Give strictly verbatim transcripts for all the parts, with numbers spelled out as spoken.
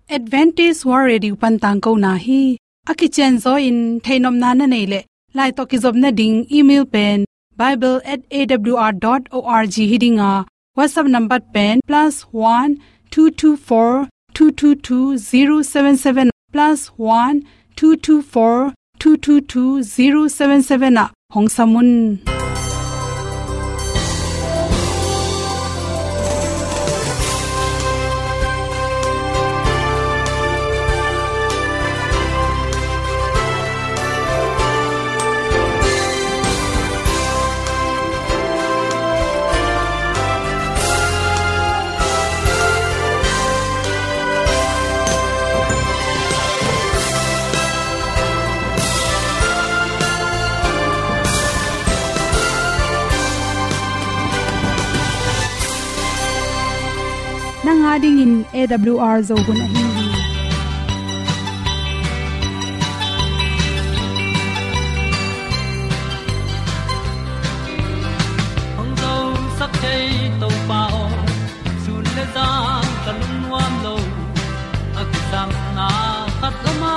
Adventist World Radio pan tangkona hi. A kicianzaw in theihnopna na neih leh, lai tawh kizopna ding email pen bible at A W R dot org hi ding a, WhatsApp number pen plus one two two four two two two zero seven seven, plus one two two four two two two zero seven seven ah hong sam un. Nang a dingin A W R Zo hun ahi hi. Hong zosak thei Topa aw, sun le zan ka lungnuam lo. A kisapna khat om a,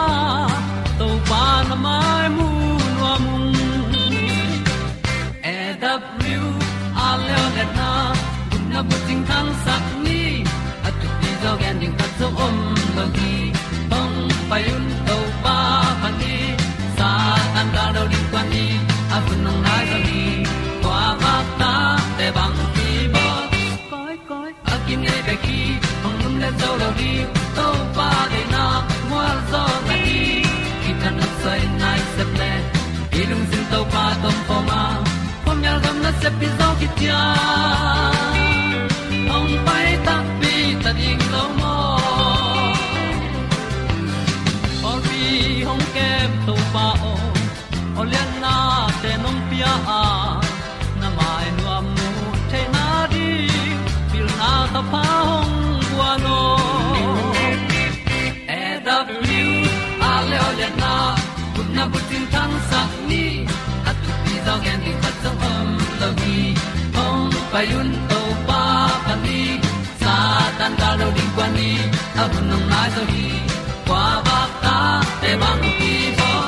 Topa na mai mu nuam ung. A W R Leo Letna, gupna bucing thangsak ni, a thupi zaw gen ding khat zong om lo hi. Hong pai un Topa phat ni, Satan gal do ding kuan ni, a hun hong nai zaw hi. Kua vak ta te bang ki bawl. Koi, koi, a kinei bek hi, hong lum le zo lo ding, Topa deihna mual zaw na hi. Kithat nopsai nai sep le, i lungsim Topa tawh om khawm a, khuamial gam nasep pi zaw kician. Hong pai takpi ta ding lo maw? Pawlpi hong kem Topa aw, aw liannate nong pia a, na mai nuam mu theihna ding, pilna thapha hong guan aw. A W R Leo Letna, gupna bucing thangsak ni, a thupi zaw gen ding khat zong om lo hi. Hong pai un Topa phat ni, Satan gal do ding kuan ni, a hun hong nai zaw hi. Kua vak ta te bang ki bawl.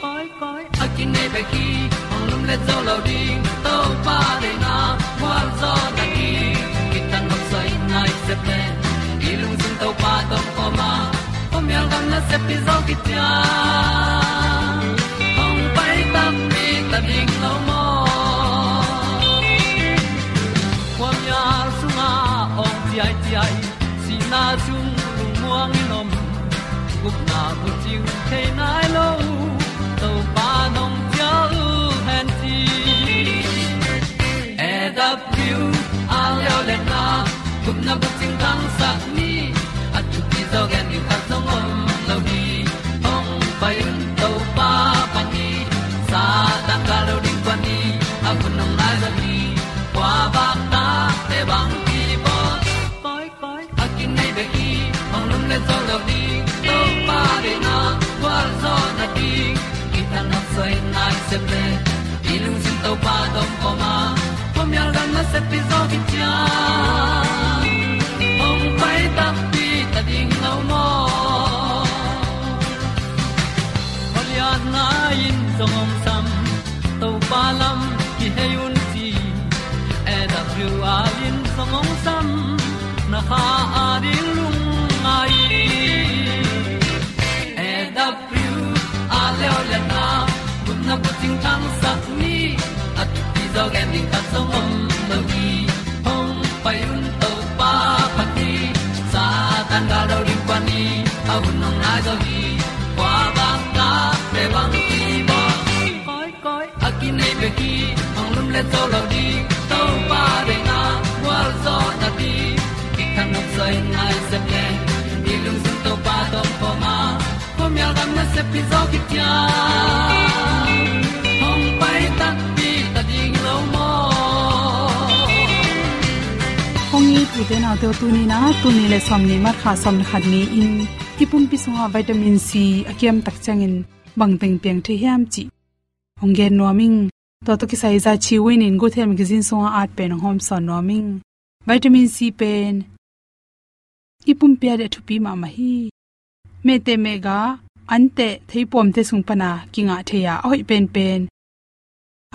Koi, koi, a kinei bek hi, hong lum le zo lo ding, Topa deihna mual zaw na hi. Kithat nopsai nai sep le, i lungsim Topa tawh om khawm a, khuamial gam nasep pi zaw kician. Hong pai takpi ta ding lo maw? Khuamial sungah awng ciaiciai, sihna sung lungmuang in om, gupna bucing thei nai lo, Topa nong cial hen ci. A W R Leo Letna, gupna bucing thangsak ni, a thupi zaw gen ding khat zong om lo hi. Hong pai un Topa phat ni, Satan gal do ding kuan ni, a hun hong nai zaw hi. Kua vak ta te bang ki bawl. Koi, koi, a kinei bek hi, hong lum le zo lo ding, Topa deihna gual zaw na ding. Kithat nopsai nai sep le, i lungsim Topa tawh om khawm a, khuamial gam nasep pi zaw kician. Hong pai takpi ta ding lo maw? Khualiatna in zong hong sam, Topa lam kihei un ci. A W R in zong hong sam, na kha a ding lungngai. A W R Leo Letna, gupna bucing thangsak ni, a thupi zaw gen ding khat zong om lo hi. Hong pai un Topa phat ni, Satan gal do ding kuan ni, a hun hong nai zaw hi. Kua vak ta te bang ki bawl. Koi, koi, a kinei bek hi, hong lum le zo lo ding, Topa deihna gual zaw na ding. Kithat nopsai nai sep le, i lungsim Topa tawh om khawm a, khuamial gam nasep pi zaw kician. Hong pai takpi ta ding lo maw? Hong it ute naute aw, tuni-in ah, tuni le sawmnih March kha sawm le khat ni-in i pumpi sungah vitamin C a kiam tak ciangin bang teng piang thei hiam cih hong gen nuam ing. Tua tawh kisai Za Chi Win in Good Health Magazine sungah at pen hong hawmsawn nuam ing. Vitamin C pen i pumpi ah a thupi mahmah hi. Mehteh mehgah, anteh, theipuamte sung pana kingah thei a, a hoih penpen,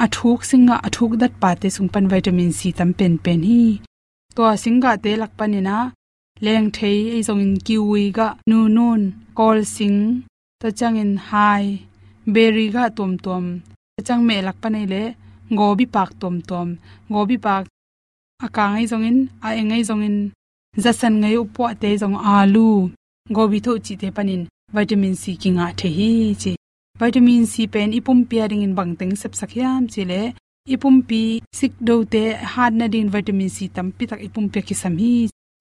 a thuk singgah, a thuk datpate sung pan vitamin C tam penpen hi. Tua singgahte lak panin ah, lengthei, ei zongin kiwi gah, nunun, kawlsing, tua ciangin hai, beri gah tuamtuam, tua ciang meh lak pan ei leh, gobi pak tuamtuam, gobi pak, a kang ei zongin, a eng ei zongin, zasan ngei, upuahte zong, alu, gobi thoh cihte panin vitamin C kingah thei hi ci. Vitamin C pen i pumpi a dingin bangteng sepsak hiam cih leh, i pumpi sikdote hat nadingin vitamin C tampi tak i pumpi ah kisam hi.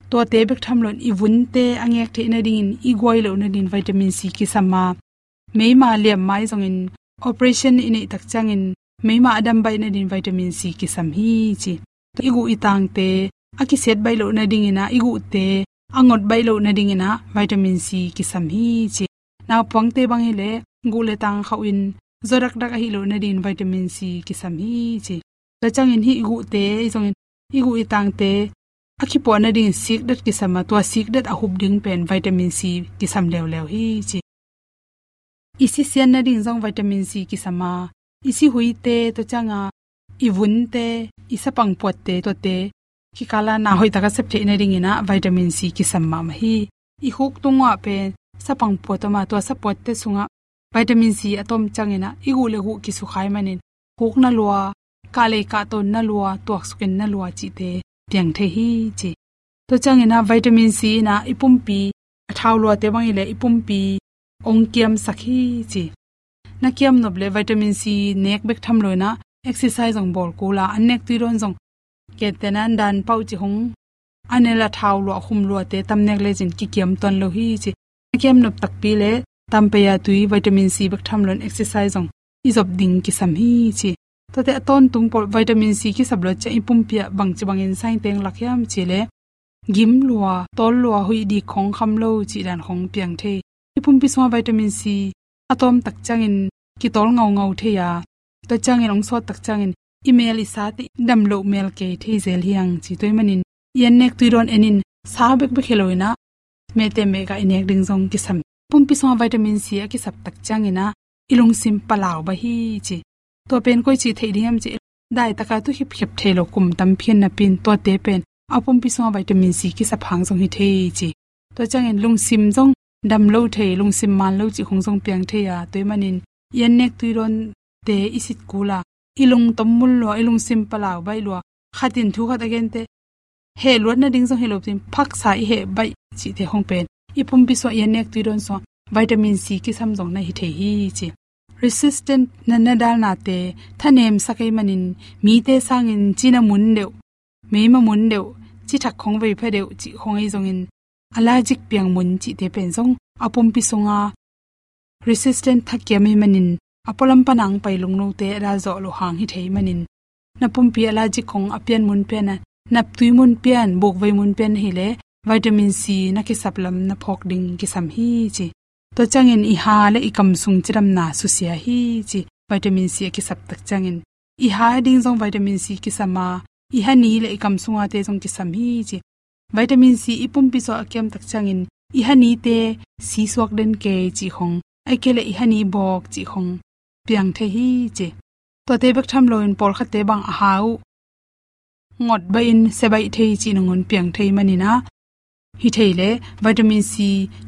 Tuate bek tham loin i vunte a ngek theih nadingin, i guai loh nadingin vitamin C kisam a, meima liam mai zongin, operation i neih tak ciangin, meima a dam baih nadingin vitamin C kisam hi ci. I guh i tangte a kisiat baih loh nadingin ah, i guhte a ngot baih loh nadingin ah vitamin C kisam hi ci. Naupangte bang hi leh, guh le tang khauh in zaw dakdak ahih loh nadingin vitamin C kisam hi ci. Tua ciangin hih i guhte, ei zongin, i guh i tangte a kipuah nadingin sikdat kisam a, tua sikdat a hup ding pen vitamin C kisam leuleu hi ci. I si sian nading zong vitamin C kisam a, i si huite, tua ciang a, i vunte, i sapang puatte, tuate kikal a na hoih tak a sep theih nadingin ah vitamin C kisam mahmah hi. I khuk tungah pen sapang puat om a, tua sapuatte sungah vitamin C a tom ciangin ah, i guh le guh kisukha ahih manin, khuk na lua, kah lei kah tawn na lua, tuaksukin na lua cihte piang thei hi ci. Tua ciangin ah vitamin C in ah i pumpi, a thau luate bang hi leh i pumpi ong kiamsak hi ci. Na kiam nop leh vitamin C nek bek tham loin ah exercise zong bawl kul a, an nek tui dawn zong, kei te na dan pau ci hong, a nel a thau lua, a khum luate tam nek lecin kikiam tuan lo hi ci. Na kiam nop takpi leh, tam pei a tui, vitamin C bek tham loin exercise zong i zop ding kisam hi ci. Tuate a tawntung pawl vitamin C kisap lo ciang i pumpi ah bangci bangin sainteng lak hiam cih leh, gim lua, tawl lua, huih dik khong, kham lo cih dan khong piang thei. I pumpi sungah vitamin C a tawm tak ciangin kitawl ngaungau thei a, tua ciangin ong sawt tak ciangin i mel, i sate dam loh mel kei thei zel hi hang ci. Tua ahih manin i an nek tui dawn en in, sa bekbek hi loin ah, mehteh mehgah i nek ding zong kisam. Pumpi sungah vitamin C a kisap tak ciangin ah, i lungsim palau baih hi ci. Tua pen koici theih ding hiam cih leh, dai tak a tu khipkhep thei lo kum tampi hi napi in, tuate pen a pumpi sungah vitamin C kisap hang zong hi thei ci. Tua ciangin lungsim zong dam lo thei, lungsim man lo cih khong zong piang thei a, tua ahih manin i an nek tui dawnte i sit kul a, i lungtom mul lua, i lungsim palau baih lua, khat in thu khat a gente heh luat nading zong hi lo, tua in phaksa i heh baih cihte khong pen i pumpi sungah, i an nek tui dawn sungah vitamin C kisam zong na hi thei hi ci. Resistant natna dalnate thanemsak ahih manin, mite sangin cina mun deuh, meima mun deuh, cithak khong vei pha deuh cih khong ei zongin, allergic piang mun cihte pen zong a pumpi sunga resistant thakiam ahih manin, a pualam pana hong pai lungnote a dal zawh loh hang hi thei ahih manin, na pumpi allergic khong a pian mun pian a, naptui mun pian, bukvei mun pian hi leh, vitamin C na kisap lam na phawk ding kisam hi ci. Tua ciangin i ha le i kam sung cidamna susia hi ci. Vitamin C a kisap tak ciangin, i ha ding zong vitamin C kisam a, i ha ni le i kam sungate zong kisam hi ci. Vitamin C i pumpi sungah a kiam tak ciangin, i ha nite si suak den kei cih khong, ahih kei leh i ha ni bawk cih khong piang thei hi ci. Tuate bek tham loin pawlkhatte bang a ha uh ngot baih in se baih thei cih nangawn piang thei ahih manin ah, hi thei leh vitamin C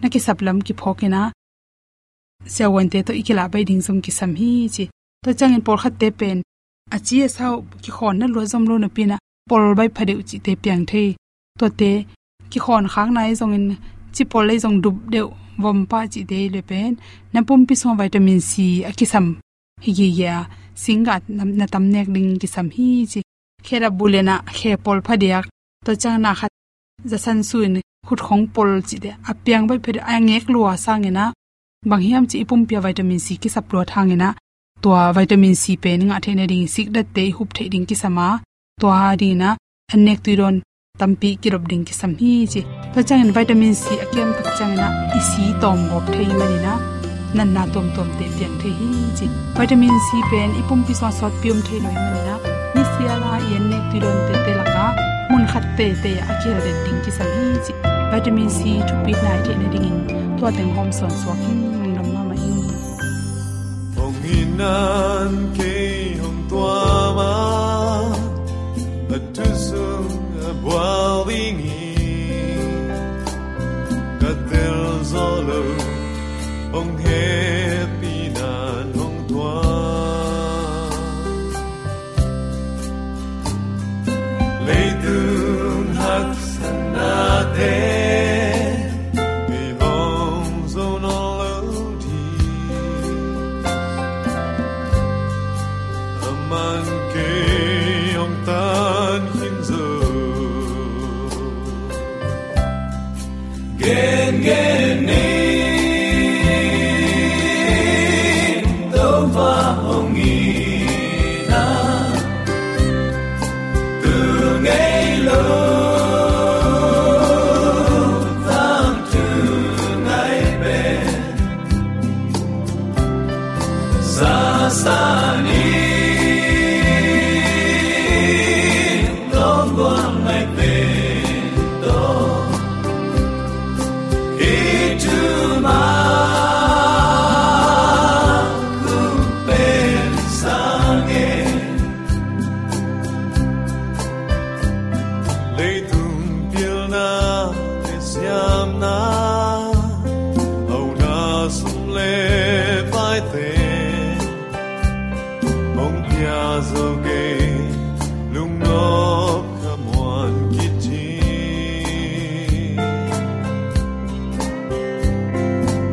na kisap lam kiphawk in ah, siavuante tawh i kilah baih ding zong kisam hi ci. Tua ciangin pawlkhatte pen a ci a sa uh kikhawn na luat zom lo napi in ah, pawl baih pha deuh cihte piang thei. Tuate kikhawn khak nai zongin, cipawl lei zong dup deuh, vom pah cihte hi leh pen, na pumpi sungah vitamin C a kisam hi gige a, singgah na, na tam nek ding kisam hi ci. Khe dap bulen ah khe pawl pha diak, tua ciang na khat zasan su in khut khong pawl cihte a piang baih pha deuh, a ngek lua sangin ah, bang hiam cih i pumpi ah vitamin C kisap luat hangin ah, tua vitamin C pen i ngah theih nading, sikdatte i hup theih ding kisam a, tua dingin ah an nek tui dawn tampi kidop ding kisam hi ci. Tua ciangin vitamin C a kiam tak ciangin ah i si tawm gawp thei ahih manin ah, natna tuamtuamte piang thei hi ci. Vitamin C pen i pumpi sungah sawtpi om thei lo ahih manin ah, nisial a i an nek tui dawn tete lakah mun khat tete ah a kihel den ding kisam hi ci. Vitamin C thupitna i theih nadingin Tua teng hawm sawn suak hi, lungdam mahmah hi. Hong in nan kei hong tuam a, a thu sung a bual ding hi. Ka tel zo lo, hong hehpih nan hong tuam. Leitung haksatnate i hong zo nawn lo ding, a man kei hong tan khin zo. Gen gen ni, Topa hong in a, tu ngei lo, tangthu ngai pen, sasa ni, Hong pia zo kei, lungnop ka muan kit hi.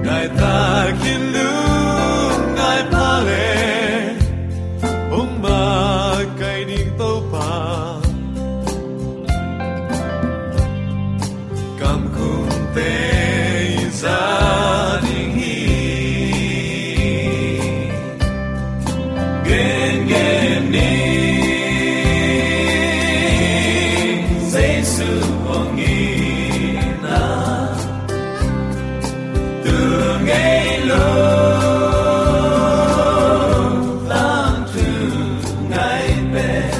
Ngai takin lungngai pha le, hong makaih ding Topa. Kam khumte i za ding hi. Gen gen ni, Jesu hong in a, tu ngei lo, tangthu ngai pen,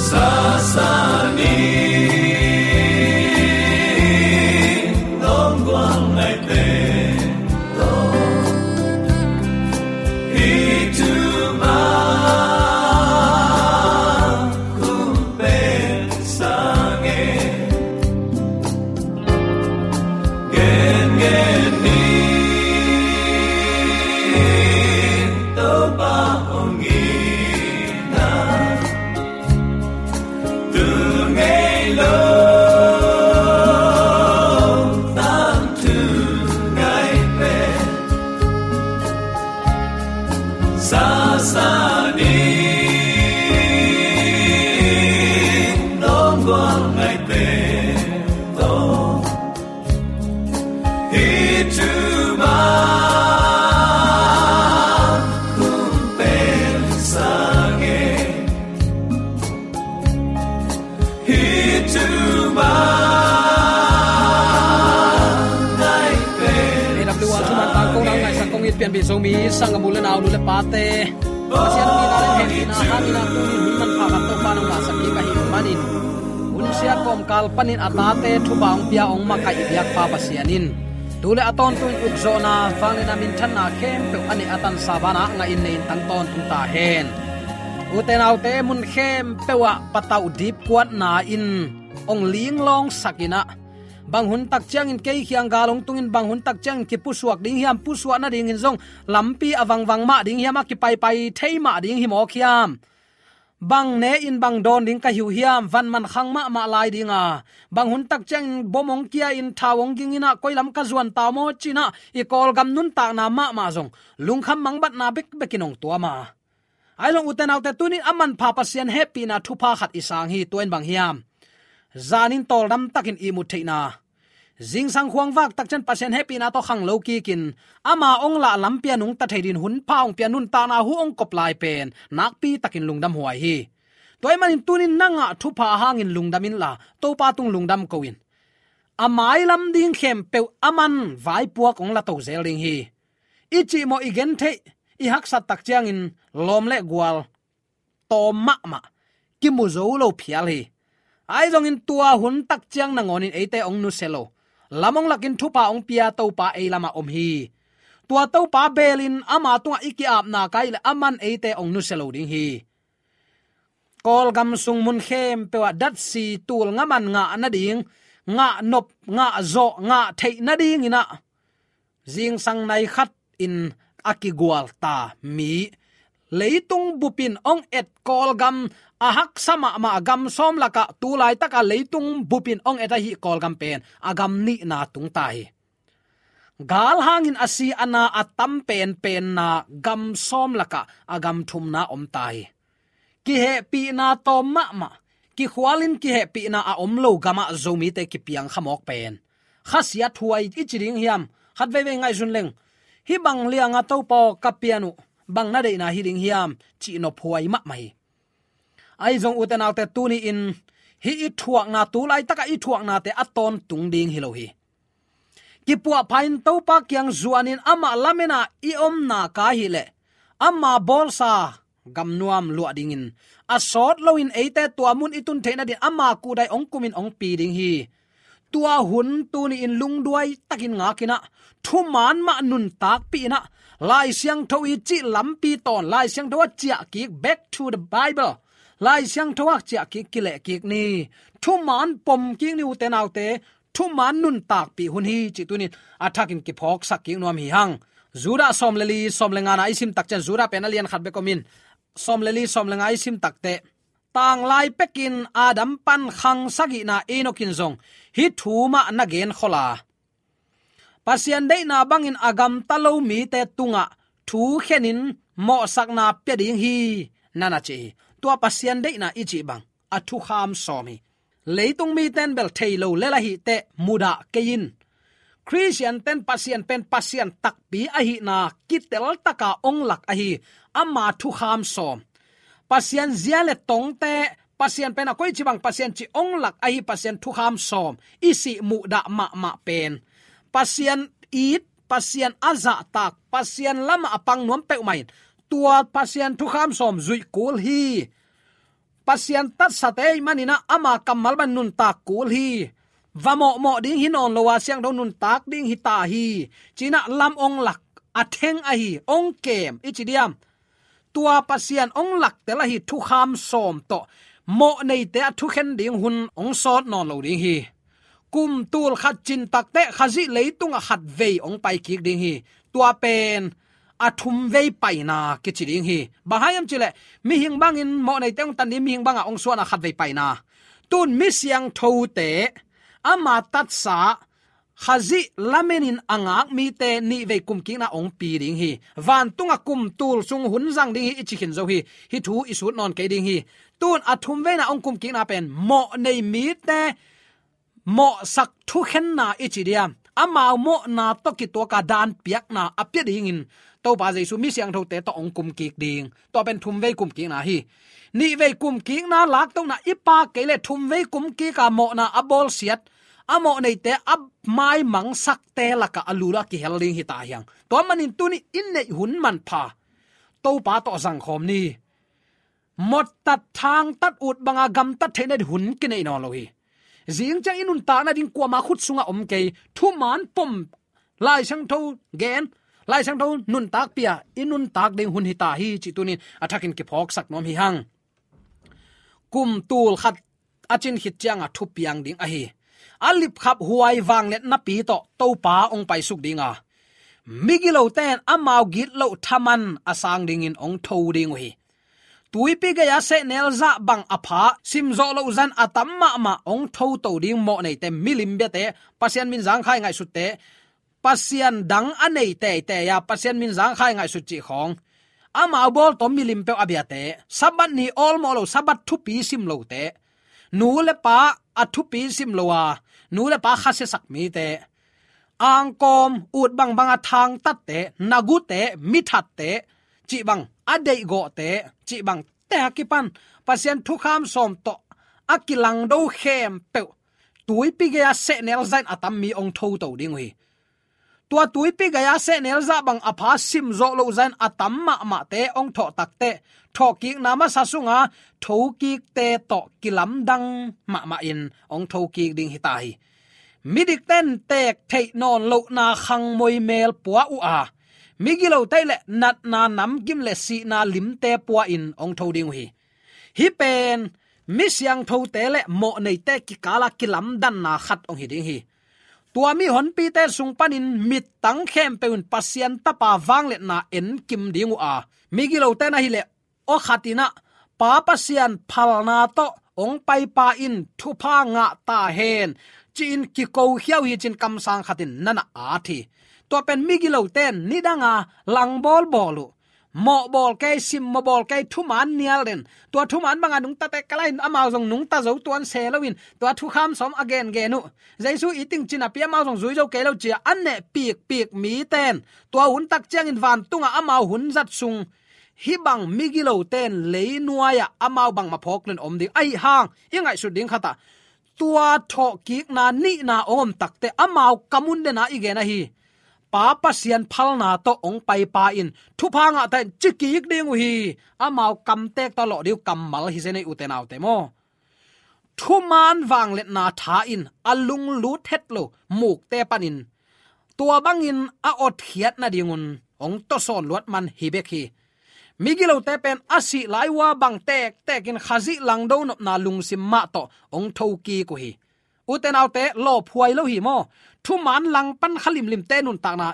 sasa ni, nong gual ngai pen, hih thu mah hong pen sang e. Gen gen ni, Topa hong in a, tu ngei lo, tangthu ngai pen, sasa ni, nong gual ngai pen, hih thu mah hong pen sang e. Hih thu mah ngai pen sang e. A W R thuman tangkona ngaihsak kong it pianpih Zomi sanggam u le nau, nu le pate, Pasian hong itna le hehpihna hangin a tuni hun manpha khat Topa nong ngahsak kik ahih manin, hun siat kawmkal panin a tate thupha hong pia hong makaih i biakpa Pasian in tu le a tawntung ukzawhna, vangliatna, minthanna khempeuh a neih a tansa banah ngahin nei in tang tawntung ta hen. Ute naute, mun khempeuh ah patauh dipkuatna in hong linglawngsak in ah, bang hun tak ciangin kei kiang gal hong tungin, bang hun tak ciangin kipusuak ding hiam, pusuak nadingin zong lampi a vangvang mah ding hiam, a kipaipai thei mah ding hi mawk hiam? Bang ne in bang dawn ding ka hi uh hiam? Van man khang mahmah lai ding a, bang hun tak ciangin bom hong kia in, thau hong ging in ah, koi lam ka zuan ta uh maw ci-in ah, i Kawlgam nuntakna mahmah zong lungkham mangbatna bekbek in hong tuam a. Ahi zong ute naute, tuni in a manpha Pasian hehpihna thupha khat i sang hi. Tua in bang hiam? Zanin tawldam takin ihmut theihna, zingsang khuavak tak ciang Pasian hehpihna tawh khanglo kikin, ama hong lah lampi a nungta thei dingin hun pha hong pia, nuntakna hu hong kop lai pen nakpi takin lungdam huai hi. Tua ahih manin tuni in na ngah thupha hangin lungdam inla, Topa tung lungdam ko in. A mailam ding khempeuh aman vaipuak hong la to zel ding hi. I cihmawh, i gentheih, i haksat tak ciangin lawm le gual tawm mahmah, kimu zo lo phial hi. Ahi zongin tua hun tak ciang nangawnin eite hong nusia lo, lam hong lakin thupha hong pia Topa ei lamah om hi. Tua Topa belin ama tungah i ki-apna ka hih leh aman eite hong nusia lo ding hi. Kawlgam sung mun khempeuh ah datsi tul ngaman ngah nading, ngah nop, ngah zawh, ngah theih nadingin ah zingsang nai khat in a kigual ta mi, leitung bupin hong et Kawlgam, a haksa mahmah gam sawm lakah tu laitaka leitung bupin hong et ahi Kawlgam pen a gam nihna tung ta hi. Gal hangin a si a na a tam penpenna gam sawm lakah a gam thumna om ta hi. Kihehpihna tawm mahmah, kikhualin kihehpihna a om lo gamah Zomite kipiang khamawk pen khasiat huai i ci ding hiam? Khat veivei ngaihsun leng, hih bang lianga Topa aw ka pian uh, bang na deihna hi ding hiam, cih nop huai mahmah hi. Ahi zong ute naute, tuni-in hih i thuakna, tu laitaka i thuaknate a tawntung ding hi lo hi. Kipuahpha in Topa kiang zuanin amah lamena i omna ka hih leh ama bawlsa gamnuam luah dingin a sawt loin eite tua mun i tun theih nadin ama kuhdai hong kumin hong pi ding hi. Tua hun tuni-in lungduai takin ngakin ah, thuman mah nuntakpih in ah, Lai Siangtho i cih lampi tawn, Lai Siangtho a ciah kik, back to the Bible, Lai Siangtho a ciah kik, kileh kik ni. Thuman pom kik ni ute naute, thuman nuntakpih hun hi cih tuni-in a thakin kiphawksak kik nuam hi hang. Judah sawm le li, sawm le ngana i sim tak ciang, Judah pen a lian khat bek om in, sawm le li, sawm le nga i sim takteh, tanglai pekin Adam pan khang sagihna Enoch in zong hih thu mah na genkhol a, Pasian deihna bangin a gamta lo mite tungah thukhenin mawhsakna pia ding hi, na na ci hi. Tua Pasian deihna i cih bang a thukham sawm hi. Leitung mite in bel thei lo lel ahih teh mudah kei in. Khristiante in Pasian pen Pasian takpi ahihna kiteltaka hong lak ahi, ama thukham sawm. Pasian zia le tongte, Pasian pen a koici bang Pasian cih hong lak ahi, Pasian thukham sawm i sih muhdah mahmah pen Pasian it, Pasian a zahtak, Pasian lamah a pang nuam peuhmah in tua Pasian thukham sawm zuih kul hi. Pasian tatsate ahih manin ah ama kammal bang nuntak kul hi. Va mawhmawh ding hi nawn lo a, siangtho nuntak ding hi ta hi, ci-in ah lam hong lak, a theng ahi, hong kem i ci diam? Tua Pasian hong laktel ahi thukham sawm tawh mawhneite a thukhen ding hun hong sawt nawn lo ding hi. Kum tul khat cin takteh Khazih leitungah khat vei hong pai kik ding hi. Tua pen a thum vei paina kici ding hi. Bang hang hiam cih leh mihing bangin mawhneite hong tan ding, mihing bangah hong suahna khat vei paina. Tun mi siangthote ama tatsa Khazih lamenin a ngak mite nih vei kumkikna hong pi ding hi. Vantungah kum tul sung hun zang ding hi i ci khin zo hi. Hih thu i sut nawn kei ding hi. Tun a thum veina hong kumkikna pen mawhnei mite mawhsak thukhenna i ci diam, amau mawhna tawh kituaka dan piakna a pia dingin Topa Jesu mi siangthote tawh hong kumkik ding. Tua pen thum vei kumkikna hi. Nih vei kumkikna laktohna i pak kei leh thum vei kumkika mawhna a bawlsiat, a mawhneite a maimangsakte lakah a lula kihel ding hi ta hiang. Tua manin tuni in neih hun manpha Topa tawh zangkhawm ni. Mawhtat, thangtat, ut banga gamtat theihna ding hun kineih nawn lo hi. Zing ciang i nuntakna ding kuama khut sungah om kei. Thuman pom, Lai Siangtho gen, Lai Siangtho nuntak pia, i nuntak ding hun hi ta hi cih tunin a thakin kiphawksak nuam hi hang. Kum tul khat a cin khit cianga thupiang ding ahi, a lipkhap huai vangliatnapi tawh Topa hong paisuk dinga, migilote in amau gitloh thaman a sang dingin hong tho ding uh hi. Tuipi gei-a sehnel zah bang a pha, simzawh loh zan a tam mahmah hong thoto ding mawhneite, milim biate, Pasian min zangkhai ngaihsutte, Pasian dang a nei teitei a Pasian min zangkhai ngaihsut cih khawng, amau bawl tawh milim peuh a biate, Sabbath ni awlmawh lo, Sabbath thupi sim lote, nu le pa a thupi sim lo a nu le pa khasiasak mite, angkawm, ut bangbanga thangtatte, nagute, mithatte, cih bang a deihgawhte, cih bangte a kipan Pasian thukham sawm tawh a kilangdo khempeuh tuipi gei-a sehnel zah in a tam mi hong thoto ding uh hi. Tua tuipi gei-a sehnel zah bang a pha, simzawh loh zah in a tam mahmahte hong thawh takteh, thawhkikna masa sunga thokikte tawh kilamdang mahmah in hong thokik ding hi ta hi. Midikte in teek theih nawn lohna khangmoi mel pua uh a, migilote le natna namgim le sihna limte pua-in hong tho ding uh hi. Hih pen mi siangthote le mawhneite kikala kilamdanna khat hong hi ding hi. Tua mi honpite sung panin mittang khempeuh in Pasian Tapa vangliatna enkim ding uh a, migilote in ahih leh aw khat in ah, Pa Pasian phalna tawh hong paipa in thupha ngah ta hen, ci-in kikokhia uh hi, ci-in kamsang khat in na na at hi. Tua pen migilote in nidanga langbawl bawl uh, mawh bawl kei, simmawh bawl kei, thuman nial den. Tua thuman banga nungtate kalahin amau zong nungta zo tuan se loin tua thukham sawm a gengen uh, Jesu it ing ci-in a pi amau zong zui zo kei lo ci-a a neh pikpik mite in tua hun tak ciangin vantunga amau hun zat sung hih bang migilote in leinuai-ah amau bangmah phawk loin om ding ahih hang, i ngaihsut ding khat ah, tua thawhkikna nihna hong om takteh amau kam un den a i gen ahi. Pa Pasian phalna tawh hong paipa in thupha ngah ta hen, ci kik ding uh hi. Amau kamtek tawh lawh ding uh kammal hi zen ei, ute naute maw. Thuman vangliatna tha in a lunglut het lo mukte panin tua bangin a otkhiat nadingun hong tawsawn luat man hi bek hi. Migilote pen a sih lai-a bang tektekin Khazih langdo nopna lungsim mah tawh hong thokik uh hi. Ute naute, lawphuai lo hi maw. Thuman langpan kha limlimte nuntakna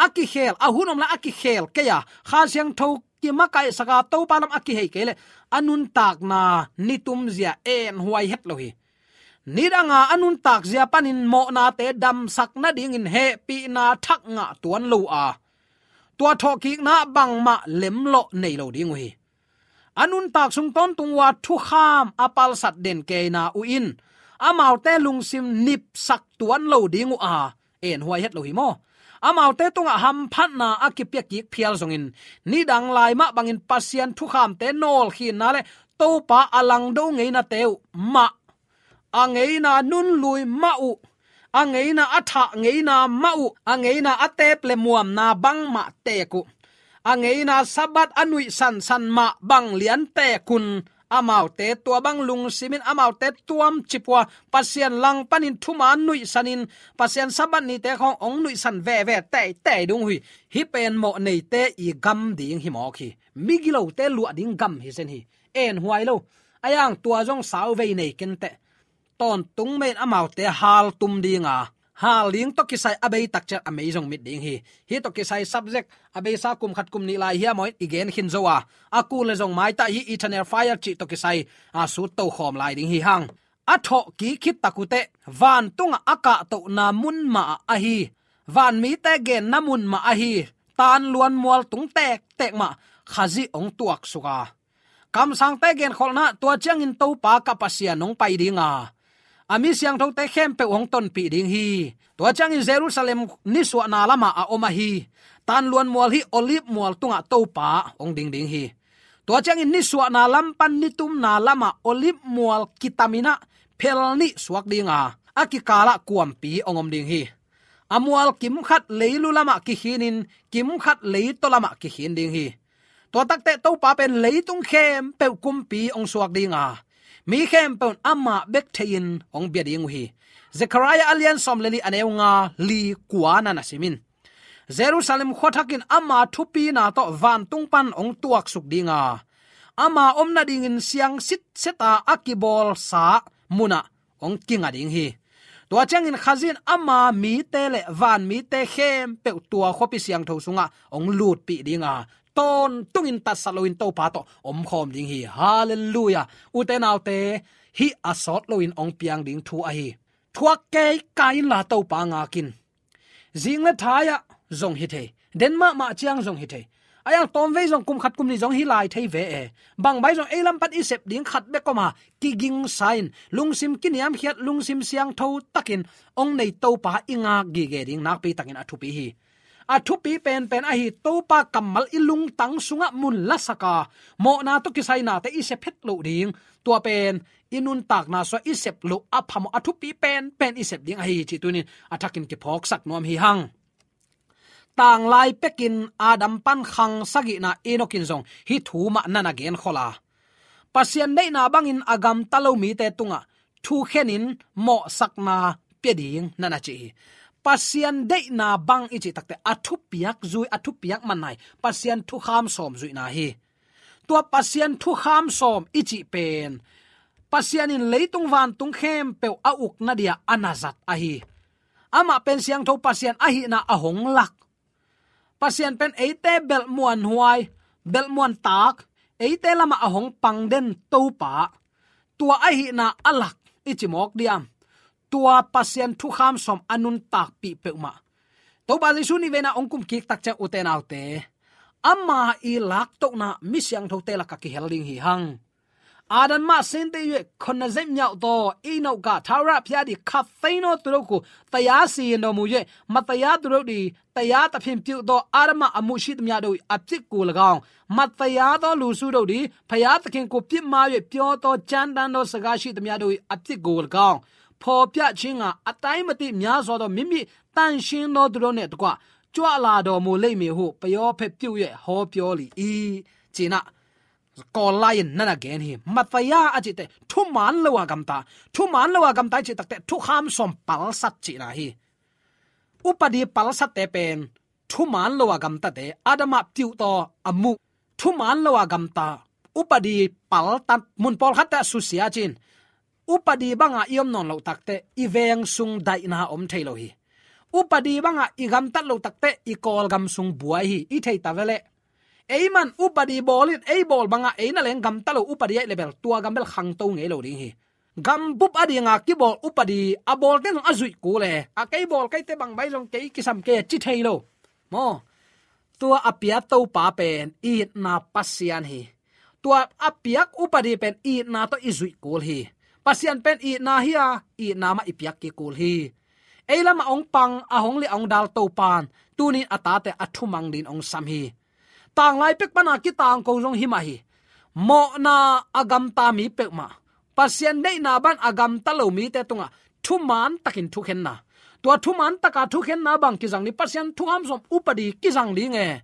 a kikhel, a hun om lai a kikhel kei a, Kha Siangtho kimakaihsak a, Topa lam a kihei kei leh a nuntakna nitumzia enhuai het lo hi. Nidanga a nuntakzia panin mawhnate damsak nadingin hehpihna thak ngah tuan lo a, tua thawhkikna bangmah lemlawh nei lo ding uh hi. A nuntak sung tawntung uh a thukham a palsat den keina uh in amaute lungsim nipsak tuan lo ding uh a, enhuai het lo hi maw. Amaute tungah hamphatna a kipia kik phial zongin, nidang lai mah bangin Pasian thukhamte nawlkhinna le Topa a langdo ngeinate uh mah, a ngeina nunlui mah uh, a ngeina a thah ngeina mah uh, a ngeina a teep le muamna bangmah teek uh, a ngeina Sabbath a nuihsansan mah bang lian teek un, amaute tua bang lungsimin amaute tuamcip uh a, Pasian langpanin thuman nuihsanin, Pasian Sabbath nite khawng hong nuihsan veve teitei ding uh hi. Hih pen mawhneite i gam ding hi mawk hi. Migilote luah ding gam hi zen hi. Enhuai lo. Ahi hang tua zong sauvei nei kenteh. Tawntung mah in amaute haltum ding a, hal ding tawh kisai a beitak ciat a mei zong mit ding hi. Hih tawh kisai subject a beisa kum khat kum nih lai hiam aw in i gen khin zo a, a kul le zong maitah hih eternal fire cih tawh kisai a sut tokhawm lai ding hi hang. A thawhkik khit tak uh teh, vantungah a kahtohna mun mah ahi, vanmite genna mun mah ahi, Tanluanmual tung tektek mah Khazih hong tuaksuk a, kamsangte genkholhna, tua ciangin Topa ka Pasian hong pai ding a, a mi siangthote khempeuh hong tonpih ding hi. Tua ciangin Jerusalem nisuahna lamah a om ahi, Tanluanmual hih Olive mual tungah Topa hong ding ding hi. Tua ciangin nisuahna lam pan nitumna lamah Olive mual kitamin ah phel nih suak ding a, a kikalah kuampi hong om ding hi. A mual kimkhat leilu lamah kikhinin kimkhat leitaw lamah kikhin ding hi. Tua takteh Topa pen leitung khempeuh kumpi hong suak ding a, mi khempeuh in amah bek thei-in hong bia ding uh hi. Zekhariah a lian sawm le li, a neu nga, li, kua na na sim in. Jerusalem khuathak in ama thupina tawh vantung pan hong tuaksuk ding a, ama om nadingin siang sitset a, a kibawlsa munah hong kinga ding hi. Tua ciangin Khazih in ama mite le vanmite khempeuh tua khuapi siangtho sungah hong lutpih ding a, tawntungin tatsat loin Topa tawh omkhawm ding hi. Halleluiah. Ute naute, hih a sawt loin hong piang ding thu ahi. Thuak kei, kai inla Topa ngak in. Zing le thai-ah zong hi thei, den mahmah ciang zong hi thei. Ahi hang tawmvei zong kum khat kum nih zong hi lai thei ve e. Bang bai zong ei lam pan i sep ding khat bek om a, kigingsa in, lungsim kiniamkhiat, lungsim siangtho takin hong nei Topa i ngak gige ding nakpi takin a thupi hi. A thupi penpen ahi, Topa kammal i lungtang sungah mun lasak a, mawhna tawh kisai nate i sep het loh ding. Tua pen i nuntakna sungah i sep loh a phamawh, a thupi penpen i sep ding ahi hi cih tuni-in a thakin kiphawksak nuam hi hang. Tanglai pekin Adam pan khang sagihna Enoch in zong hih thu mah na na genkhol a, Pasian deihna bangin a gamta lo mite tungah thukhenin mawhsakna pia ding na na ci hi. Pasian deihna bang i cih takte a thupiak zui, a thupiak manna hi Pasian thukham sawm zuihna hi. Tua Pasian thukham sawm i cih pen Pasian in leitung vantung khempeuh a ukna dia a na zat ahi. Amah pen siangtho Pasian ahihna a hong lak. Pasian pen eite belhmuan huai, belhmuan tak, eite lamah a hong pang den Topa, tua ahihna a lak i ci mawk diam? Tua Pasian thukham sawm a nuntakpih peuhmah Topa Jesu nihveina hong kum kik tak ciang, ute naute, ama i laktohna mi siangthote lakah kihel ding hi hang. Adam mah sente yue khonna zem nyau to, i nau ka thau ra phia di khat fei no tu do ku, taya si no mu yue, ma taya tu do di, taya ta phim piu to, Adam mah a mu shi tam ya do i a pik ku la gaung. Ma taya to lu su do di, phaya ta king ku pip ma yue pio to, chan dan do saga shi tam ya do i a pik ku la gaung. Pho pia chinga, a tai ma ti mya so to, mimi tan shin no tu do ne tu kwa, chua la do mu lei mi hu, payo phe piu yue, ho pio li i, cina. Kawl lai-in na na gen hi. Matthai a cihte thuman lo a gamta. Thuman lo a gamta i cih takte thukham sawm palsat cihna hi. Upadi palsatte pen thuman lo a gamtate, Adam a piuhtaw a muh. Thuman lo a gamta, upadi paltat, mun pawlkhatte a susia cin. Upadi banga i om nawn loh takte i veng sung daihna om thei lo hi. Upadi banga i gamtat loh takte i Kawlgam sung buai hi, i thei ta veleh. Ei man upadi bawlin, ei bawl banga ei na leng gamta lo upadi ahih leh bel tua gam bel khangto ngei lo ding hi. Gam bup a dinga kibawl upadi a bawlte zong a zuih kul e. A kei bawl keite bang bai zong kei kisam kei a ci thei lo. Maw? Tua a pia Topa pen itna Pasian hi. Tua a piak upadi pen itna tawh i zuih kul hi. Pasian pen itna hi a, itna mah i piak kik kul hi. Ei lamah hong pang, a hong liah hong dal Topan tunin a tate a thumang din hong sam hi. Tanglai pek pana kitangko zong hi mah hi. Mawhna a gamta mi peuhmah, Pasian deihna ban a gamta lo mite tungah thuman takin thukhenna. Tua thuman taka thukhenna bang kizang ding, Pasian thukham sawm upadi kizang ding e.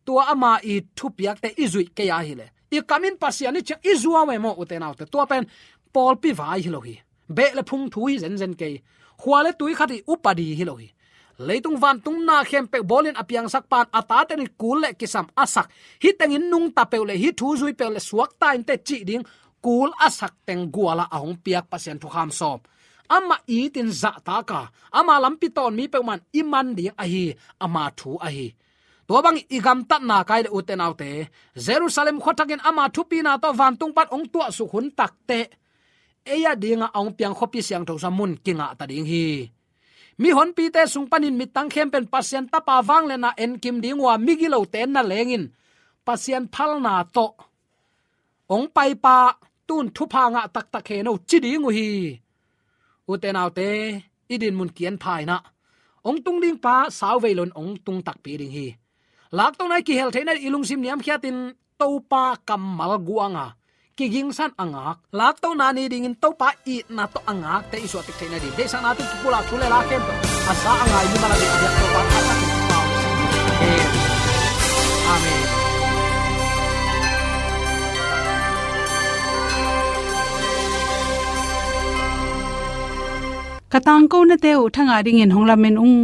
Tua ama i thupiakte i zuih kei a hileh, i kamin Pasian i ciang i zuau e maw, ute naute. Tua pen pawlpi vai hi lo hi. Beh le phung thu hi zenzen kei. Khua le tui khat hi upadi hi lo hi. Leitung vantung na khempeuh bawlin a piangsak pan a tate in kul le kisam a sak. Hih tengin nungta peuh le hih thu zui peuh le suakta inteh cih ding kul a sak teng guala a hong piak Pasian thukham sawm. Amah itin zahtaka, ama lampi tawn mi peuhmah in i man ding ahi, ama thu ahi. Tua bangin i gamtatna kai le ute naute, Jerusalem khuathakin ama thupina tawh vantung pan hong tuahsuk hun takte, ei a dinga a hong piang khuapi siangtho sa mun kingahta ding hi. Mihonpite sung panin midang khempeuh in Pasian Tapa vangliatna enkim ding uh a, migilote na lengin Pasian phalna tawh hong paipa tun thupha ngah taktak hen o ci ding uh hi. Ute naute, i dinmun kian pha inah, hong tung ding pa sauvei loin hong tung takpi ding hi. Laktona i kihel theihna ding i lungsim niamkhiatin Topa kammal guanga kigingsan a ngak, laktona ni dingin Topa itna tawh a ngakte i suahtik theihna ding, deihsakna tawh kipulak thu le la khempeuh a za a ngai mimal a ding a biak Topa thakhatin pau. Amen. Ka tangkonate uh thangah dingin hong lamen ung.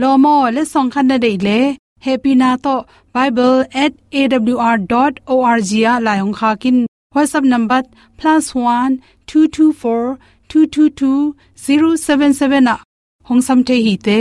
Lawm aw, letsong khat na deih leh hehpihna tawh bible at A W R dot O R G ah lai hong khak in. WhatsApp number plus one two two four two two two zero seven seven ah hong sam thei hi te.